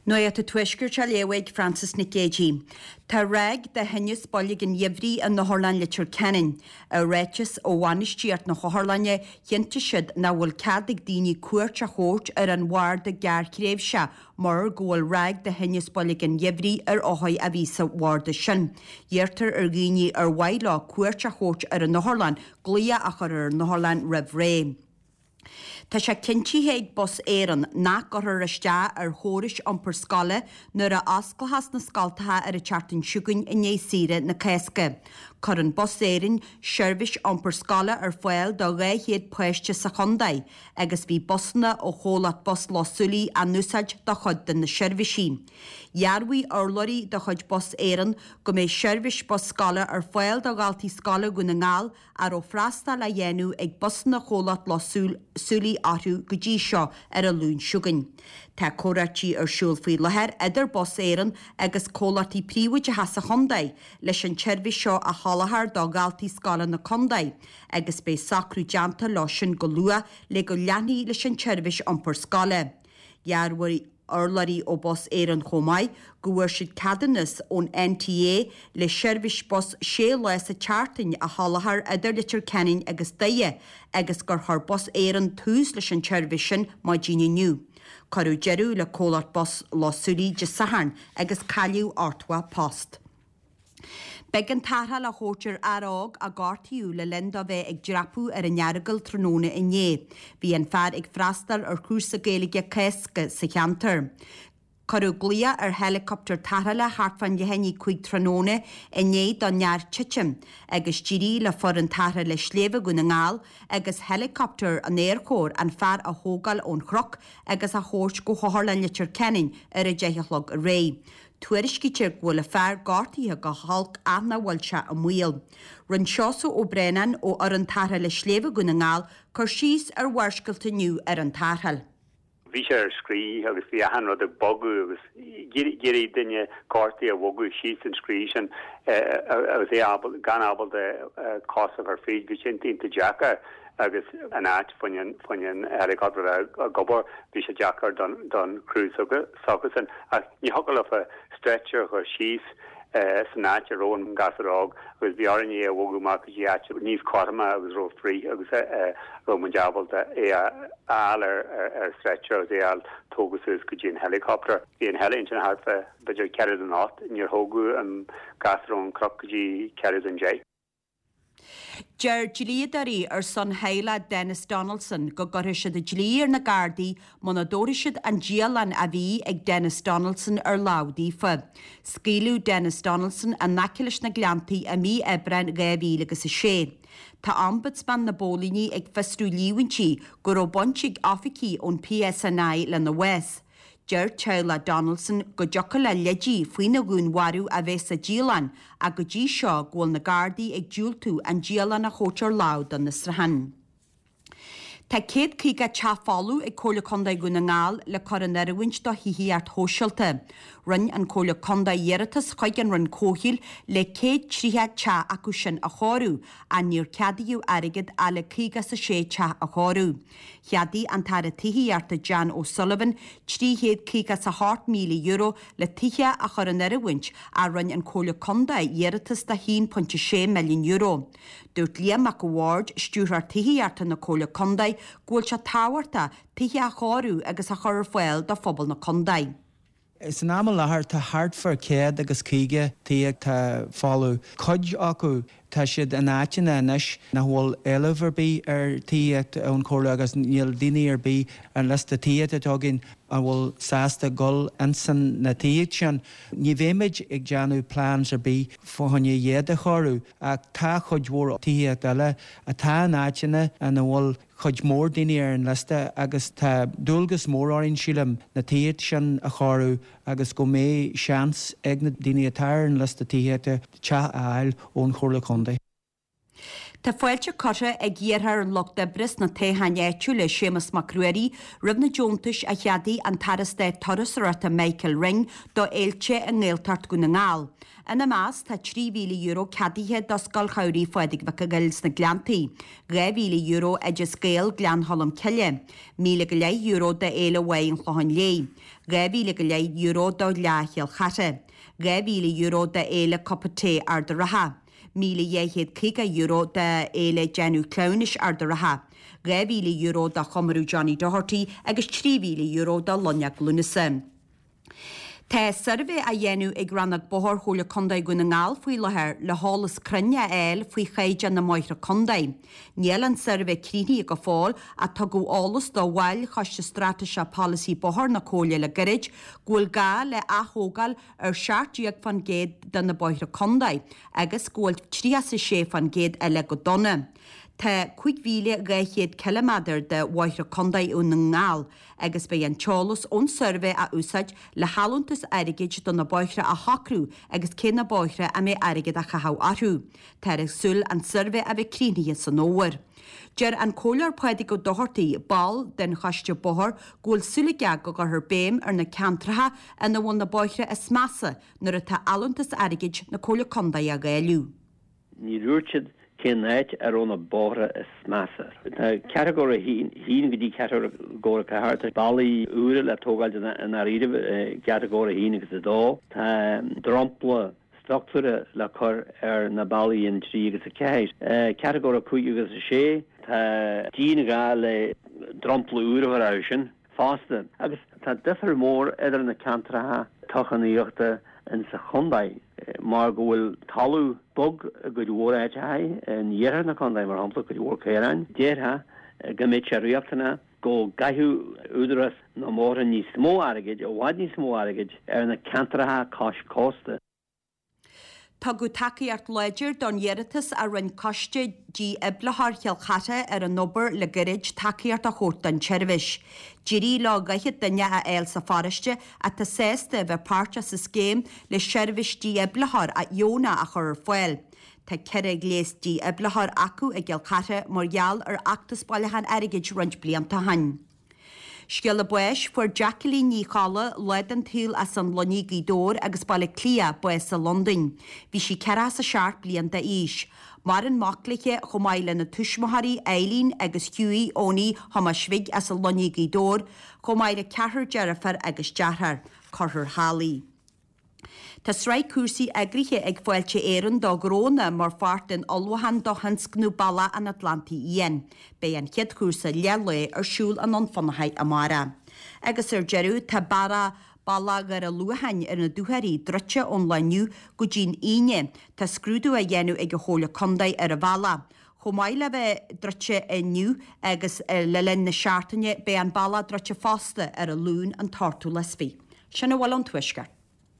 Nuacht an Tuaiscirt á léamh ag Frances Nic Géadaigh. Tá ráig de thinneas boilg an gheimhridh in Otharlann Leitir Ceanainn. I ráiteas ó bhainistíocht na hotharlainne, chinntigh siad nach bhfuil cead ag daoine cuairt a thabhairt ar an bharda gearrthréimhseach mar go bhfuil ráig de thinneas boilg an gheimhridh ar othair a bhí sa bharda sin. Iarrtar ar dhaoine ar mhaith leo cuairt a thabhairt ar an otharlann glaoch a chur ar an otharlann roimh ré. Tá sé cinntithe ag Bus Éireann nach gcuirfear isteach ar chórais iompair scoile nuair a osclóchas na scoltacha ar an tseachtain seo chugainn i ndiaidh saoire na Cásca. Cuireann Bus Éireann seirbhís iompair scoile ar fáil do 200 páiste sa chontae agus bhí busanna ó chomhlacht Bus Loch Súilí á n-úsáid do chuid de na seirbhísí. Dhearbhaigh urlabhraí de chuid Bus Éireann go mbeidh seirbhís bus scoile ar fáil do dhaltaí scoile Dhún na nGall a raibh freastal á dhéanamh ag busanna chomhlacht Loch Súilí orthu go dtí seo ar an Luan seo chugainn. Tá comhráití ar siúl faoi láthair idir Bus Éireann agus comhlachtaí príobháideacha sa chontae leis an tseirbhís seo a sholáthar do dhaltaí scoile na contae agus beidh socrú déanta leo sin go luath le go leanfaí leis an tseirbhís iompair scoile. Dhearbhaigh urlabhraí ó Bus Éireann chomh maith go bhfuair siad ceadúnas ón NTA le seirbhís bus sé lá sa tseachtain a sholáthar idir Leitir Ceanainn agus Doire agus gur chuir Bus Éireann tús leis an tseirbhís sin maidin inniu. Cuireadh deireadh le comhlacht bus Loch Súilí Dé Sathairn agus cailleadh 80 post. B'éigean tarrtháil a thabhairt ar fhear óg a gortaíodh le linn dó bheith ag dreapadh ar an Earagail tráthnóna inné. Bhí an fear ag freastal ar chúrsa Gaeilge Cásca sa cheantar. Cuireadh glaoch ar heileacoptar tarrthála thart fán leath i ndiaidh 5 tráthnóna i ndiaidh don fhear titim agus d'éirigh le foireann tarrthála Sléibhe Dhún na nGall agus heileacoptar an Aerchóir an fear a thógáil ón chnoc agus a thabhairt go hOtharlann Leitir Ceanainn ar a 10 a chlog aréir. Tuairiscítear go bhfuil an fear gortaithe go holc ach nach bhfuil sé i mbaol. Rinne Seosamh Ó Braonáin ó fhoireann tarrthála Sléibhe Dhún na nGall cur síos ar Bharrscéalta inniu ar an tarrtháil. Bhí sé ar scrí agus bhí achan rud ag bogadh agus d'iarraidh duine gortaithe a bhogadh síos an scrí sin agus é ábalta, gan ábalta cos a chur fríd. Bhí sé iontach deacair agus an áit fá choinne an helicopter a bheith ag obair, bhí sé deacair don chriú s'acusan. Ach ní thiocfadh leofa stretcher a chur síos san áit a raibh an gasúr óg agus bhí orainn é a bhogadh amach go dtí áit níos cothroime agus raibh frith agus a raibh muid ábalta é a fháil ar stretcher agus é a fháil tógtha suas go dtí an helicopter. Bhí an heli ansin thart fá b'fhéidir ceathrú don ocht, níor thógadh an gasúr ón chnoc go dtí ceathrú don deich. Deir dlíodóirí ar son theaghlach Denis Donaldson go gcuirfidh siad an dlí ar na Gardaí muna dtabharfaidh siad an dialann a bhí ag Denis Donaldson ar lámh daofa. Scaoileadh Denis Donaldson in aice leis na Gleanntaí i mí Aibreáin 2006. Tá Ombudsman na bPóilíní ag fiosrú líomhaintí go raibh baint ag oifigigh ón PSNI lena bhás. Deir teaghlach Donaldson go dtiocfadh le leidí faoina dhúnmharú a bheith sa dialann ach go dtí seo go bhfuil na Gardaí ag diúltú an dialann a thabhairt ar lámh don fhiosrúchán. Tá 150 teach folamh ag Comhairle Contae Dhún na nGall le cur in oiriúint do thithíocht shóisialta. Rinne an Comhairle Contae iarratas chuig an Roinn Comhshaoil le 130 teach acu sin a chóiriú ach níor ceadaíodh airgead ach le 56 teach a chóiriú. Cheadaigh an tAire Tithíochta Jan O'Sullivan €358,000 le tithe a chur in oiriúint ach rinne an Comhairle Contae iarratas do €1.6 milliún. Dúirt Liam Mac a' Bhaird, Stiúrthóir Tithíochta na Comhairle Contae, go bhfuil sé tábhachtach tithe a chóiriú agus a chur ar fáil do phobal na contae. San am i láthair tá thart fá 150 tí atá folamh. Cuid acu tá siad in áiteanna anois nach bhfuil éileamh ar bith ar tithíocht ón Chomhairle agus níl daoine ar bith ar an liosta tithíochta atá againn a bhfuil sásta dhul insan na tithíocht sin. Ní bheimid ag déanamh plans ar bith fá choinne iad a chóiriú ach tá cuid mhór tithíocht eile atá in áiteanna ina bhfuil cuid mhór daoine ar an liosta agus tá dualgas mór orainn, sílim, na tithíocht sin a chóiriú agus go mbeidh seans ag na daoine atá ar an liosta tithíochta teach a fháil ón Chomhairle Contae. Tá fáilte curtha ag iarrthóir an Lucht Oibre sna toghcháin áitiúla, Séamus Mac Ruairí, roimh na deontais a cheadaigh an tAire Stáit Turasóireachta Michael Ring do fhéilte i nGaeltacht Dhún na nGall. Ina measc tá €3,000 ceadaithe do Scoil Shamhraidh Phádraig Mhic a' Ghoill sna Gleanntaí, €2,000 Oideas Gael Gleann Cholm Cille, €1,000 go leith do Fhéile Mhaigh an Chlocháin Léith, €2,000 go leith do Fhleadh Chill Chartha, €2,000 do Fhéile Cupa Tae Ard a' Rátha, €1,250 do Fhéile Déanamh Cleamhnais Ard a' Rátha, €2,000 do Chomóradh Johnny Doherty agus €3,000 do Lonneog Lúnasa. Tá suirbhé á dhéanamh ag Rannóg Bóthair Chomhairle Contae Dhún na nGall faoi láthair le heolas cruinn a fháil faoi chaighdeán na mbóithre contae. Níl an suirbhé críochnaithe go fóill ach tugadh eolas do bhaill Choiste Straitéiseach Polasaí Bóthair na Comhairle le gairid go bhfuil gá le ath-thógáil ar 17% de na bóithre contae agus go bhfuil 36% eile go dona. Tá 5,200 ciliméadar de bhóithre contae i nDún na nGall agus beidh an t-eolas ón suirbhé á úsáid le hallúntas airgid do na bóithre a shocrú agus cé na bóithre a mbeidh airgead á chaitheamh orthu. Táthar ag súil an suirbhé a bheith críochnaithe san fhómhar. Deir an Comhairleoir Pádraig Ó Dochartaigh, ball den Choiste Bóthair, go bhfuil súil aige go gcuirfear béim ar na ceantracha ina bhfuil na bóithre is measa nuair atá allúntas airgid na Comhairle Contae á dháileadh. Ní dúirt siad cén áit a raibh na bóithre is measa. Tá catagóir 1 go dtí catagóir 4. Tá bealaí úra le tógáil i ndáiríribh i gcatagóir 1 agus 2. Tá dromchla struchtúrtha le cur ar na bealaí in 3 agus 4. Catagóir 5 agus 6, tá dianghá le dromchla úr a chur orthu sin. fosta, agus tá difear mór idir na ceantracha toghchánaíochta in sa chontae mar go bhfuil talamh bog i gcuid mhór áiteacha, in iarthar na contae mar shampla, cuid mhór caoráin. Déarfá go mbeadh sé riachtanach go gcaithfeadh Údarás na mBóithre níos mó airgid, i bhfad níos mó airgid, ar na ceantracha cois cósta. Tugadh tacaíocht láidir don iarratas a rinne Coiste Dífhibrileoir Chill Chartha ar an obair le gairid tacaíocht a thabhairt don tseirbhís. D'éirigh leo 40 duine a fháil sa pharóiste atá sásta a bheith páirteach sa scéim le seirbhís dífhibrileoir dheonach a chur ar fáil. Tá 4 ghléas dífhibrileoir acu i gCill Chartha mar gheall ar fheachtas bailiúcháin airgid roinnt blianta ó shin. Scéala báis, Fuair Jacqueline Ní Cholla, lá den tsaol as an Luinnigh, Gaoth Dobhair agus Baile Átha Cliath, bás i Londain. Bhí sí 47 bliain d'aois. Maireann mac léi chomh maith lena tuismitheoirí Eileen agus Hughie Eoiní Thomáis Bhig as an Luinnigh, Gaoth Dobhair, chomh maith le ceathrar deirféar agus deartháir. Cuirfear thall í. Tá sraith cúrsaí eagraithe ag Fáilte Éireann do ghnónna mar pháirt den ullmhúchán do thionscnamh Bealach an Atlantaigh Fhiáin. Beidh an chéad chúrsa leath lae ar siúl i nDún Fionnachaidh amárach. Agus ar deireadh, tá bealach Dhoire Luacháin ar na Dúchoraidh druidte ón lá inniu go dtí'n Aoine. Tá scrúdú á dhéanamh ag an Chomhairle Contae ar an bhealach. Chomh maith le bheith druidte inniu agus le linn na seachtaine, beidh an bealach druidte fosta ar an Luan an t-ochtú lá is fiche. Sin a bhfuil ón Tuaisceart.